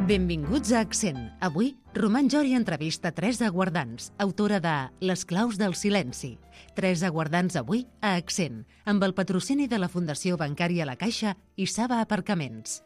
Benvinguts a Accent. Avui, Roman Jori entrevista Teresa Guardans, autora de Les claus del silenci. Teresa Guardans avui a Accent, amb el patrocini de la Fundació Bancària La Caixa i Saba Aparcaments.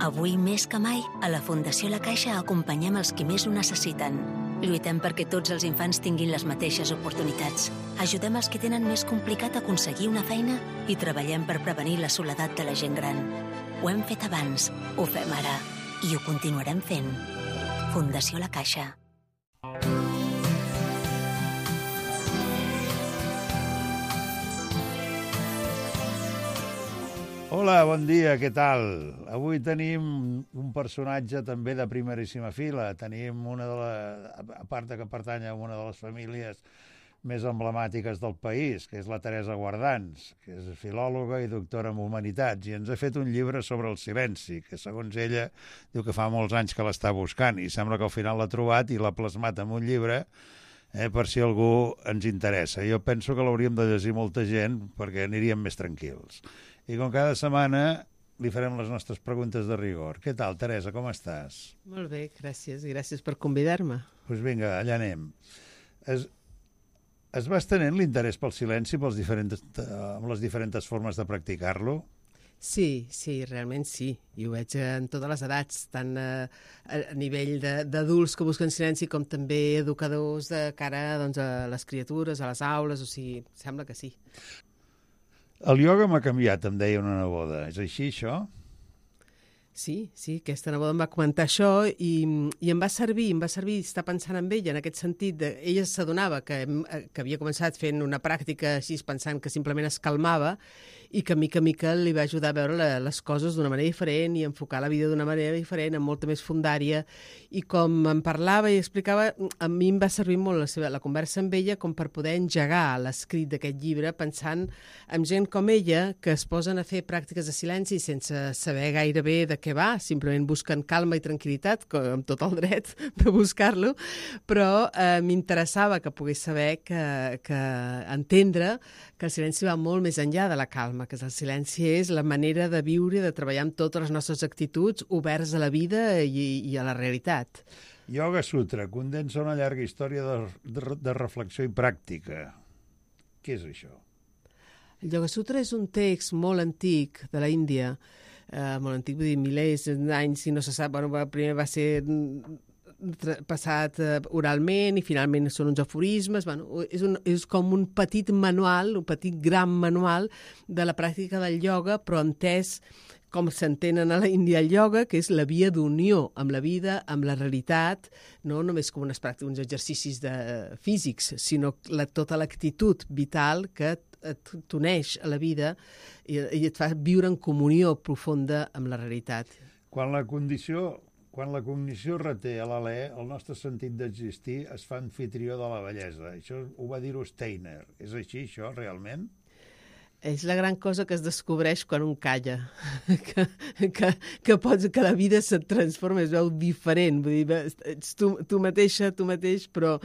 Avui més que mai, a la Fundació La Caixa acompanyem els qui més ho necessiten. Lluitem perquè tots els infants tinguin les mateixes oportunitats. Ajudem els que tenen més complicat aconseguir una feina i treballem per prevenir la soledat de la gent gran. Ho hem fet abans, ho fem ara i ho continuarem fent. Fundació La Caixa. Hola, bon dia, què tal? Avui tenim un personatge també de primeríssima fila. Tenim a part que pertany a una de les famílies més emblemàtiques del país, que és la Teresa Guardans, que és filòloga i doctora en Humanitats, i ens ha fet un llibre sobre el silenci, que segons ella diu que fa molts anys que l'està buscant, i sembla que al final l'ha trobat i l'ha plasmat en un llibre per si algú ens interessa. Jo penso que l'hauríem de llegir molta gent perquè aniríem més tranquils. I com cada setmana li farem les nostres preguntes de rigor. Què tal, Teresa, com estàs? Molt bé, gràcies. Gràcies per convidar-me. Doncs vinga, allà anem. Es va estenent l'interès pel silenci amb les diferents formes de practicar-lo? Sí, realment sí. I ho veig en totes les edats, tant a nivell d'adults que busquen silenci com també educadors de cara doncs, a les criatures, a les aules, o sigui, sembla que sí. El ioga m'ha canviat, em deia una neboda. És així, això? Sí, aquesta neboda em va comentar això i em va servir estar pensant en ella, en aquest sentit. Ella s'adonava que havia començat fent una pràctica així, pensant que simplement es calmava i que mica en mica li va ajudar a veure les coses d'una manera diferent i enfocar la vida d'una manera diferent, amb molta més fondària. I com em parlava i explicava, a mi em va servir molt la conversa amb ella com per poder engegar l'escrit d'aquest llibre, pensant en gent com ella que es posen a fer pràctiques de silenci sense saber gaire bé de què va, simplement busquen calma i tranquil·litat, amb tot el dret de buscar-lo, però m'interessava que pogués saber que entendre que el silenci va molt més enllà de la calma, que el silenci és la manera de viure i de treballar amb totes les nostres actituds oberts a la vida i a la realitat. Yoga Sutra condensa una llarga història de reflexió i pràctica. Què és això? El Yoga Sutra és un text molt antic de la Índia, molt antic, vull dir, milers d'anys, si no se sap, primer va ser passat oralment i finalment són uns aforismes. És com un petit manual, un petit gran manual de la pràctica del ioga, però entès com s'entenen a la Índia el ioga, que és la via d'unió amb la vida, amb la realitat, no només com unes pràctiques, uns exercicis físics, sinó tota l'actitud vital que t'uneix a la vida i et fa viure en comunió profunda amb la realitat. Quan la cognició reté a l'alè, el nostre sentit d'existir es fa anfitrió de la bellesa. Això ho va dir-ho Steiner. És així, això, realment? És la gran cosa que es descobreix quan un calla, que la vida se't transforma, es veu diferent, vull dir, ets tu mateixa, tu mateix, però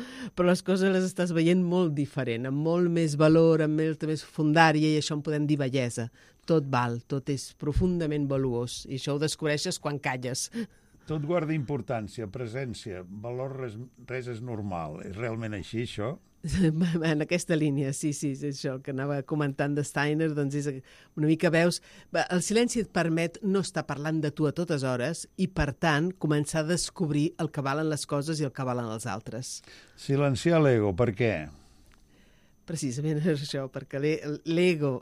les coses les estàs veient molt diferent, amb molt més valor, amb molta més fondària, i això en podem dir bellesa. Tot val, tot és profundament valuós, i això ho descobreixes quan calles. Tot guarda importància, presència, valor, res és normal. És realment així, això? En aquesta línia, sí, és això que anava comentant de Steiner, doncs és una mica veus, el silenci et permet no estar parlant de tu a totes hores i, per tant, començar a descobrir el que valen les coses i el que valen els altres. Silenciar l'ego, per què? Precisament és això, perquè l'ego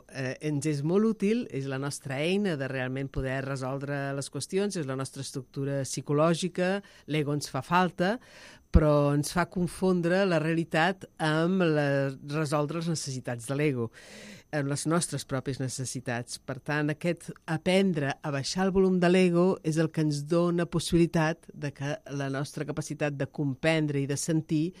ens és molt útil, és la nostra eina de realment poder resoldre les qüestions, és la nostra estructura psicològica, l'ego ens fa falta, però ens fa confondre la realitat amb resoldre les necessitats de l'ego, amb les nostres pròpies necessitats. Per tant, aquest aprendre a baixar el volum de l'ego és el que ens dona possibilitat de que la nostra capacitat de comprendre i de sentir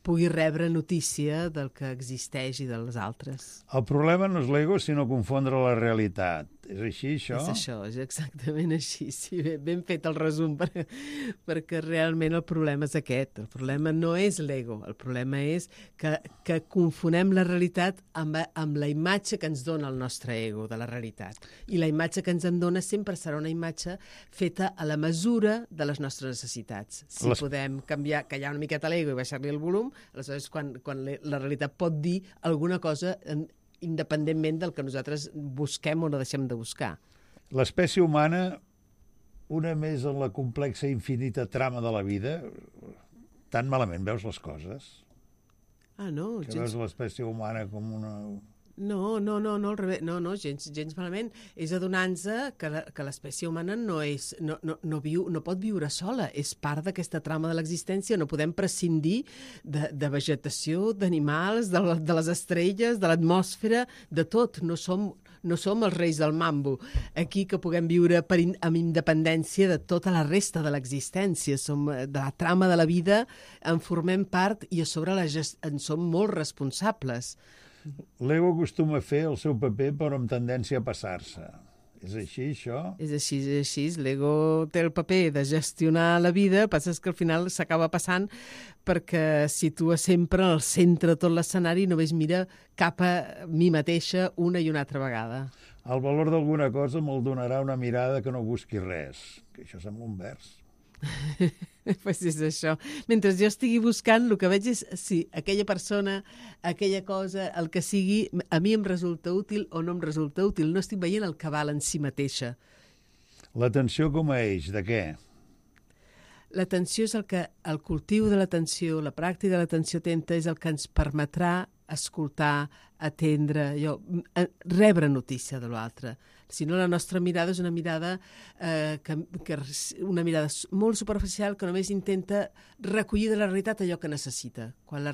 pugui rebre notícia del que existeix i dels altres. El problema no és l'ego, sinó confondre la realitat. És així, això? És això, és exactament així. Sí, ben fet el resum, perquè realment el problema és aquest. El problema no és l'ego, el problema és que confonem la realitat amb la imatge que ens dona el nostre ego de la realitat. I la imatge que ens en dona sempre serà una imatge feta a la mesura de les nostres necessitats. Si podem canviar, callar una miqueta l'ego i baixar-li el volum, aleshores quan la realitat pot dir alguna cosa independentment del que nosaltres busquem o no deixem de buscar. L'espècie humana, una més en la complexa i infinita trama de la vida, tan malament veus les coses? No. Que veus l'espècie humana com una... No, al revés. No, gens malament. És adonar-nos que l'espècie humana no pot viure sola. És part d'aquesta trama de l'existència. No podem prescindir de vegetació, d'animals, de les estrelles, de l'atmosfera, de tot. No som els reis del mambo. Aquí que puguem viure amb independència de tota la resta de l'existència. De la trama de la vida en formem part i a sobre en som molt responsables. L'ego acostuma a fer el seu paper però amb tendència a passar-se. És així, això? És així. L'ego té el paper de gestionar la vida, passa que al final s'acaba passant perquè situa sempre al centre tot l'escenari i només mira cap a mi mateixa una i una altra vegada. El valor d'alguna cosa me'l donarà una mirada que no busqui res. Que això sembla un vers. Pues és això. Mentre jo estigui buscant, el que veig és si aquella persona, aquella cosa, el que sigui, a mi em resulta útil o no em resulta útil. No estic veient el que val en si mateixa. L'atenció com a eix, de què? L'atenció és el cultiu de l'atenció, la pràctica de l'atenció atenta és el que ens permetrà escoltar, atendre, rebre notícia de l'altre. Si no, la nostra mirada és una mirada una mirada molt superficial que només intenta recollir de la realitat allò que necessita. Quan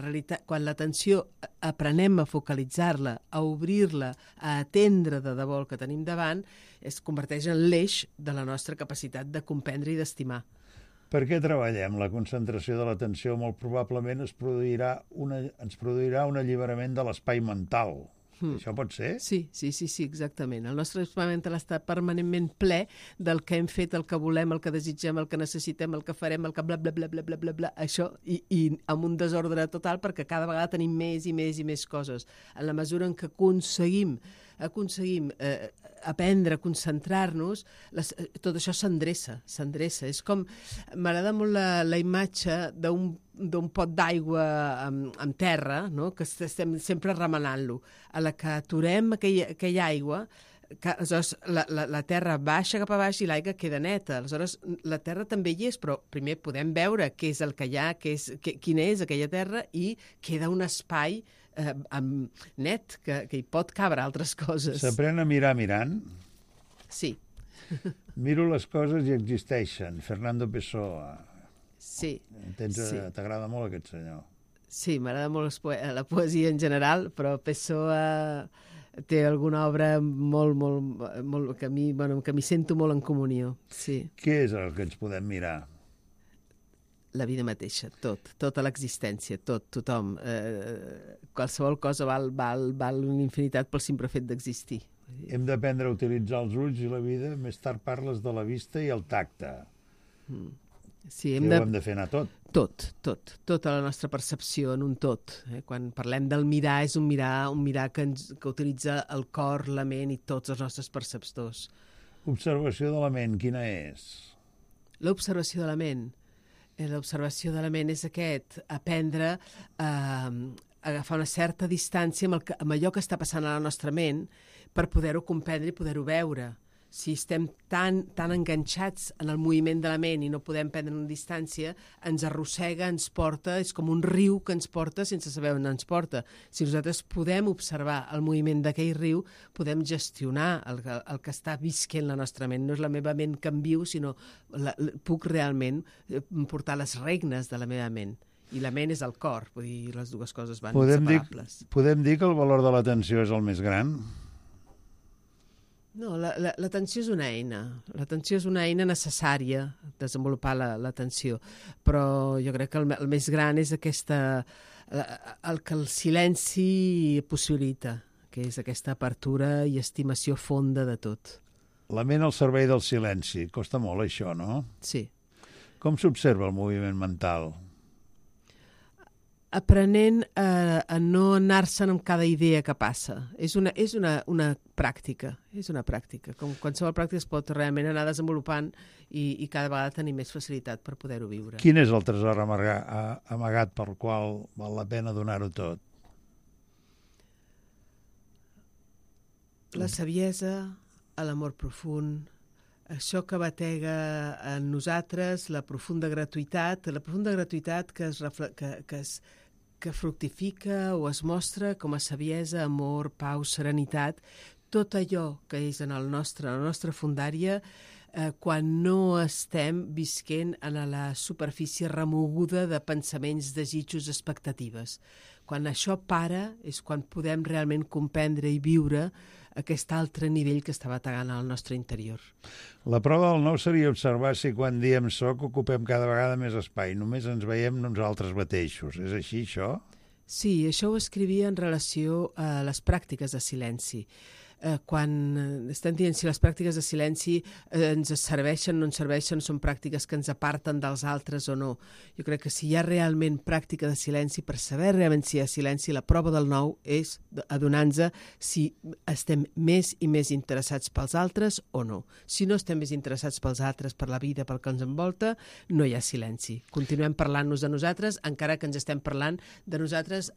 l'atenció aprenem a focalitzar-la, a obrir-la, a atendre de debò el que tenim davant, es converteix en l'eix de la nostra capacitat de comprendre i d'estimar. Per què treballem? La concentració de l'atenció molt probablement ens produirà un alliberament de l'espai mental. Això pot ser? Sí, exactament. El nostre espai mental està permanentment ple del que hem fet, el que volem, el que desitgem, el que necessitem, el que farem, el que bla, bla, bla, bla, bla, bla, bla, això, i amb un desordre total perquè cada vegada tenim més i més i més coses. En la mesura en què aconseguim aprendre a concentrar-nos, tot això s'endreça. És com, m'agrada molt la imatge d'un pot d'aigua en terra, no? Que estem sempre remenant-lo. A la que aturem aquella aigua, aleshores la terra baixa cap a baix i l'aigua queda neta. Aleshores, la terra també hi és, però primer podem veure què és el que hi ha, quina és aquella terra, i queda un espai net, que hi pot cabre altres coses. S'aprèn a mirar mirant? Sí. Miro les coses i existeixen. Fernando Pessoa. Sí. T'agrada molt aquest senyor? Sí, m'agrada molt la poesia en general, però Pessoa té alguna obra molt que m'hi sento molt en comunió. Sí. Què és el que ens podem mirar? La vida mateixa, tota l'existència, tothom. Qualsevol cosa val una infinitat pel simple fet d'existir. Hem d'aprendre a utilitzar els ulls i la vida. Més tard parles de la vista i el tacte. Sí, ho hem de fer anar tot. Tota la nostra percepció en un tot. Quan parlem del mirar, és un mirar que utilitza el cor, la ment i tots els nostres perceptors. Observació de la ment, quina és? L'observació de la ment. L'observació de la ment és aprendre a agafar una certa distància amb allò que està passant a la nostra ment per poder-ho comprendre i poder-ho veure. Si estem tan enganxats en el moviment de la ment i no podem prendre una distància, ens arrossega, ens porta, és com un riu que ens porta sense saber on ens porta. Si nosaltres podem observar el moviment d'aquell riu, podem gestionar el que està visquent la nostra ment. No és la meva ment que em viu, sinó puc realment portar les regnes de la meva ment. I la ment és el cor, vull dir, les dues coses van inseparables. Podem dir que el valor de l'atenció és el més gran? No, l'atenció és una eina. L'atenció és una eina necessària, desenvolupar l'atenció. Però jo crec que el més gran és el que el silenci possibilita. que és aquesta apertura i estimació fonda de tot. La ment al servei del silenci. Costa molt, això, no? Sí. Com s'observa el moviment mental? Aprenent a no anar-se'n amb cada idea que passa. És una pràctica, és una pràctica. Com qualsevol pràctica es pot realment anar desenvolupant i cada vegada tenir més facilitat per poder-ho viure. Quin és el tresor amagat pel qual val la pena donar-ho tot? La saviesa, l'amor profund, això que batega en nosaltres, la profunda gratuïtat que fructifica o es mostra com a saviesa, amor, pau, serenitat, tot allò que és en la nostra fundària, quan no estem visquent en la superfície remoguda de pensaments, desitjos, expectatives. Quan això para és quan podem realment comprendre i viure aquest altre nivell que està bategant al nostre interior. La prova del nou seria observar si quan diem soc ocupem cada vegada més espai, només ens veiem nosaltres mateixos. És així, això? Sí, això ho escrivia en relació a les pràctiques de silenci. Quan estem dient si les pràctiques de silenci ens serveixen, no ens serveixen, són pràctiques que ens aparten dels altres o no. Jo crec que si hi ha realment pràctica de silenci, per saber realment si hi ha silenci, la prova del nou és adonar-nos si estem més i més interessats pels altres o no. Si no estem més interessats pels altres, per la vida, pel que ens envolta, no hi ha silenci. Continuem parlant-nos de nosaltres, encara que ens estem parlant de nosaltres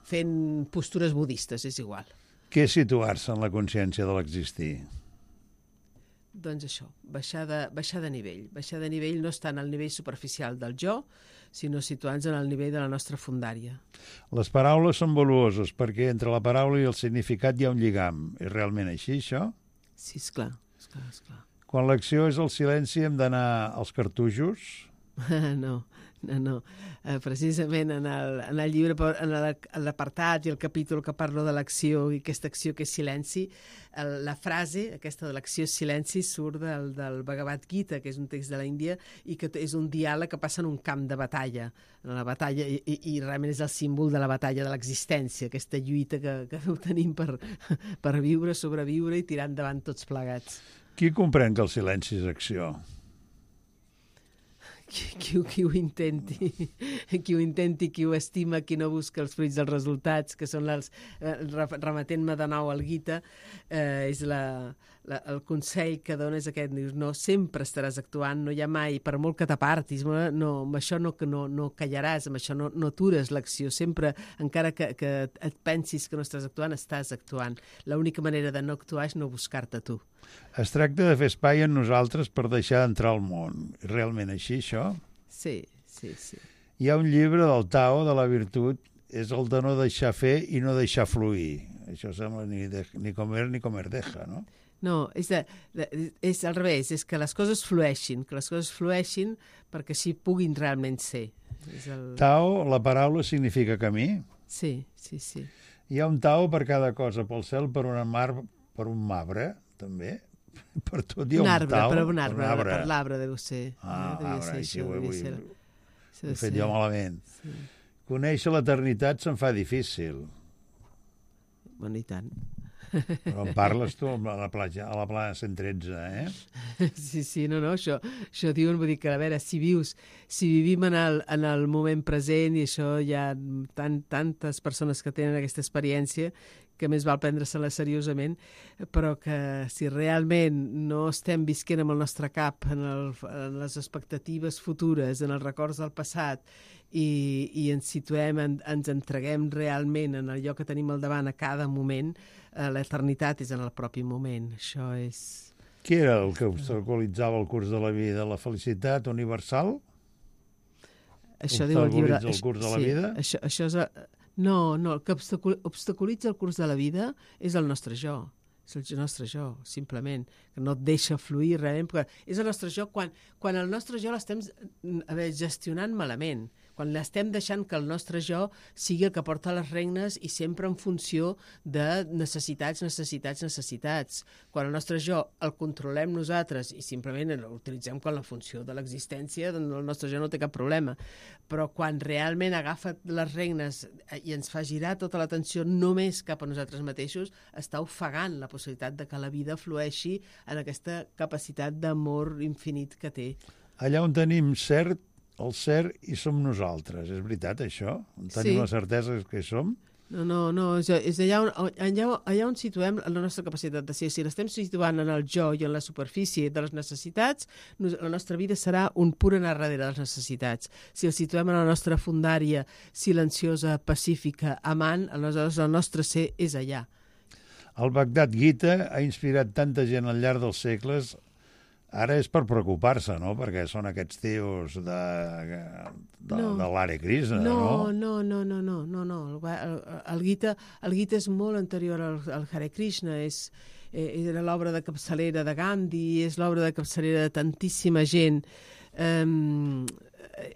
fent postures budistes, és igual. Què és situar-se en la consciència de l'existir? Doncs això, baixar de nivell. Baixar de nivell no està en el nivell superficial del jo, sinó situant-nos en el nivell de la nostra fundària. Les paraules són valuoses perquè entre la paraula i el significat hi ha un lligam. És realment així, això? Sí, esclar. Quan l'acció és el silenci hem d'anar als cartutxos? No. Precisament en el llibre, en l'apartat i el capítol que parlo de l'acció i aquesta acció que és silenci, la frase aquesta de l'acció és silenci surt del Bhagavad Gita, que és un text de l'Índia i que és un diàleg que passa en un camp de batalla, en la batalla i realment és el símbol de la batalla de l'existència, aquesta lluita que tenim per viure, sobreviure i tirar endavant tots plegats. Qui comprèn que el silenci és acció? Qui ho intenti, qui ho estima, qui no busca els fruits dels resultats, que són remetent-me de nou al Gita, és el consell que dona és aquest, dius, no sempre estaràs actuant, no hi ha mai, per molt que t'apartis, amb això no callaràs, amb això no atures l'acció, sempre, encara que et pensis que no estàs actuant. L'única manera de no actuar és no buscar-te tu. Es tracta de fer espai en nosaltres per deixar d'entrar al món. És realment així, això? Sí. Hi ha un llibre del Tao, de la virtut, és el de no deixar fer i no deixar fluir. Això sembla ni comer deja, no? No, és al revés, és que les coses flueixin, perquè així puguin realment ser. Tao, la paraula significa camí? Sí. Hi ha un Tao per cada cosa, pel cel, per un mar, per un marbre, també? Per tot hi ha un Tao. Un arbre, per l'arbre deu ser. Arbre, així ho he fet jo malament. Sí. Conèixer l'eternitat se'n fa difícil. Bueno, i tant. Però en parles tu a la plana 113, eh? Sí, no, això diuen, vull dir que, a veure, si vivim en el moment present, i això hi ha tantes persones que tenen aquesta experiència, que més val prendre-se-la seriosament, però que si realment no estem visquent amb el nostre cap en les expectatives futures, en els records del passat, i ens situem, ens entreguem realment en allò que tenim al davant a cada moment, l'eternitat és en el propi moment. Això és... Què era el que obstaculitzava el curs de la vida? La felicitat universal? Això diu el llibre... el curs de la vida? Això és... No, el que obstaculitza el curs de la vida és el nostre jo. És el nostre jo, simplement, que no et deixa fluir realment, perquè és el nostre jo quan el nostre jo l'estem gestionant malament, Quan estem deixant que el nostre jo sigui el que porta les regnes i sempre en funció de necessitats. Quan el nostre jo el controlem nosaltres i simplement l'utilitzem com la funció de l'existència, doncs el nostre jo no té cap problema. Però quan realment agafa les regnes i ens fa girar tota l'atenció només cap a nosaltres mateixos, està ofegant la possibilitat de que la vida flueixi en aquesta capacitat d'amor infinit que té. Allà on tenim el cert hi som nosaltres, és veritat això? Tenim la certesa que hi som? No, és allà on situem la nostra capacitat de ser. Si l'estem situant en el jo i en la superfície de les necessitats, la nostra vida serà un pur anar darrere de les necessitats. Si el situem en la nostra fundària silenciosa, pacífica, amant, aleshores el nostre ser és allà. El Bhagavad Gita ha inspirat tanta gent al llarg dels segles. Ara és per preocupar-se, no? Perquè són aquests tios de l'Hare Krishna, no? No. El Gita és molt anterior al Hare Krishna, era l'obra de capçalera de Gandhi, és l'obra de capçalera de tantíssima gent.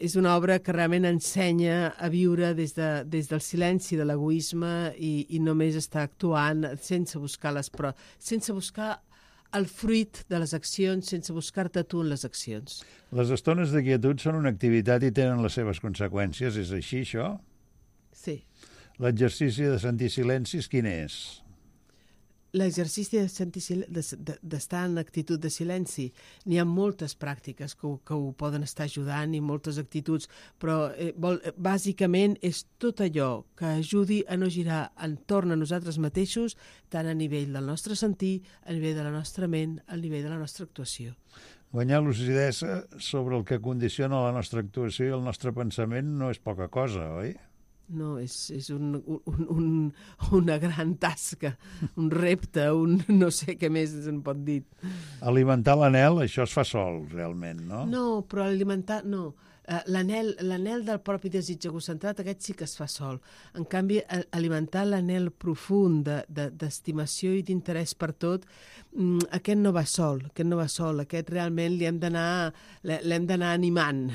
És una obra que realment ensenya a viure des del silenci de l'egoisme i només està actuant sense buscar sense buscar el fruit de les accions, sense buscar-te tu en les accions. Les estones de quietud són una activitat i tenen les seves conseqüències. És així, això? Sí. L'exercici de sentir silencis, quin és? L'exercici d'estar en actitud de silenci. N'hi ha moltes pràctiques que ho poden estar ajudant i moltes actituds, però bàsicament és tot allò que ajudi a no girar entorn a nosaltres mateixos, tant a nivell del nostre sentir, a nivell de la nostra ment, a nivell de la nostra actuació. Guanyar lucidesa sobre el que condiciona la nostra actuació i el nostre pensament no és poca cosa, oi? No, és una gran tasca, un repte, no sé què més se'n pot dir. Alimentar l'anhel, això es fa sol, realment, no? No, però alimentar, no. L'anhel del propi desig egocentrat, aquest sí que es fa sol. En canvi, alimentar l'anhel profund d'estimació i d'interès per tot, aquest no va sol, aquest realment l'hem d'anar animant.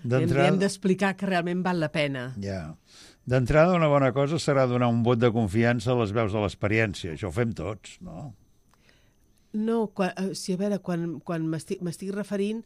Li hem d'explicar que realment val la pena. Ja. D'entrada, una bona cosa serà donar un vot de confiança a les veus de l'experiència. Això ho fem tots, no? No, a veure, quan m'estic referint,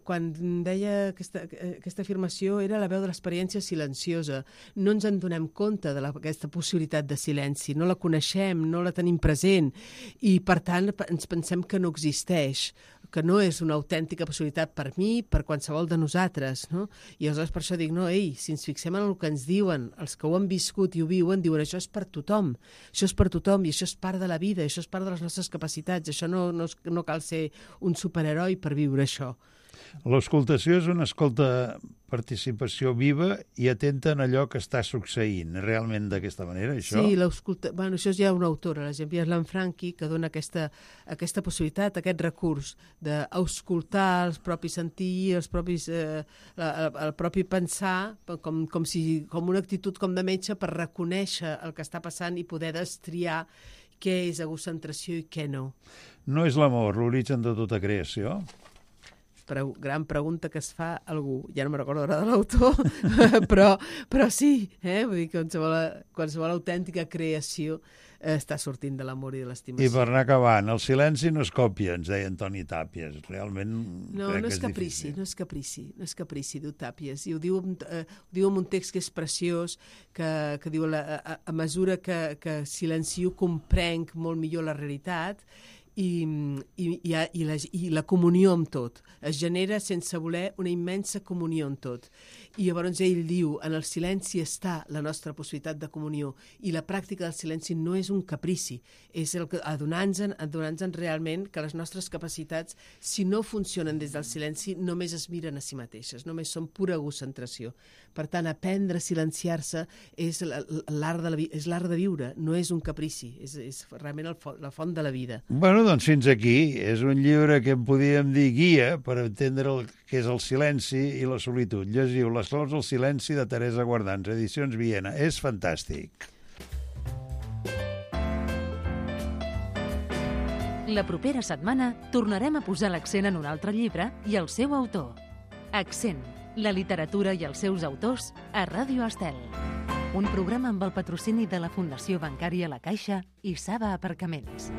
quan deia aquesta afirmació, era la veu de l'experiència silenciosa. No ens en donem compte d'aquesta possibilitat de silenci, no la coneixem, no la tenim present i, per tant, ens pensem que no existeix, que no és una autèntica possibilitat per mi, per qualsevol de nosaltres, no? I aleshores per això dic, no, si ens fixem en el que ens diuen, els que ho han viscut i ho viuen, diuen això és per tothom i això és part de la vida, això és part de les nostres capacitats, això no cal ser un superheroi per viure això. L'escoltació és una participació viva i atenta en allò que està succeint. Realment d'aquesta manera, això? Sí, això és ja una autora, la Jean Pierre Lanfranchi, que dona aquesta possibilitat, aquest recurs d'escoltar els propis sentir, el propi pensar, com una actitud com de metge per reconèixer el que està passant i poder destriar què és egocentració i què no. No és l'amor l'origen de tota creació? Gran pregunta que es fa algú, ja no me'n recordo de l'autor, però sí, vull dir que qualsevol autèntica creació està sortint de l'amor i de l'estimació. I per anar acabant, el silenci no es còpia, ens deia Antoni Tàpies, realment no és caprici, no és caprici, diu Tàpies, i ho diu en un text que és preciós, que diu a mesura que silencio comprenc molt millor la realitat i la comunió amb tot. Es genera sense voler una immensa comunió amb tot. I llavors ell diu, en el silenci està la nostra possibilitat de comunió i la pràctica del silenci no és un caprici, és adonant-nos realment que les nostres capacitats, si no funcionen des del silenci, només es miren a si mateixes, només són pura egocentració. Per tant, aprendre a silenciar-se és l'art de viure, no és un caprici, és realment la font de la vida. Bueno, doncs fins aquí. És un llibre que en podíem dir guia per entendre el que és el silenci i la solitud. Llegiu Les claus del silenci de Teresa Guardans, Edicions Viena. És fantàstic. La propera setmana tornarem a posar l'accent en un altre llibre i el seu autor. Accent, La literatura i els seus autors a Ràdio Estel. Un programa amb el patrocini de la Fundació Bancària La Caixa i Saba Aparcaments.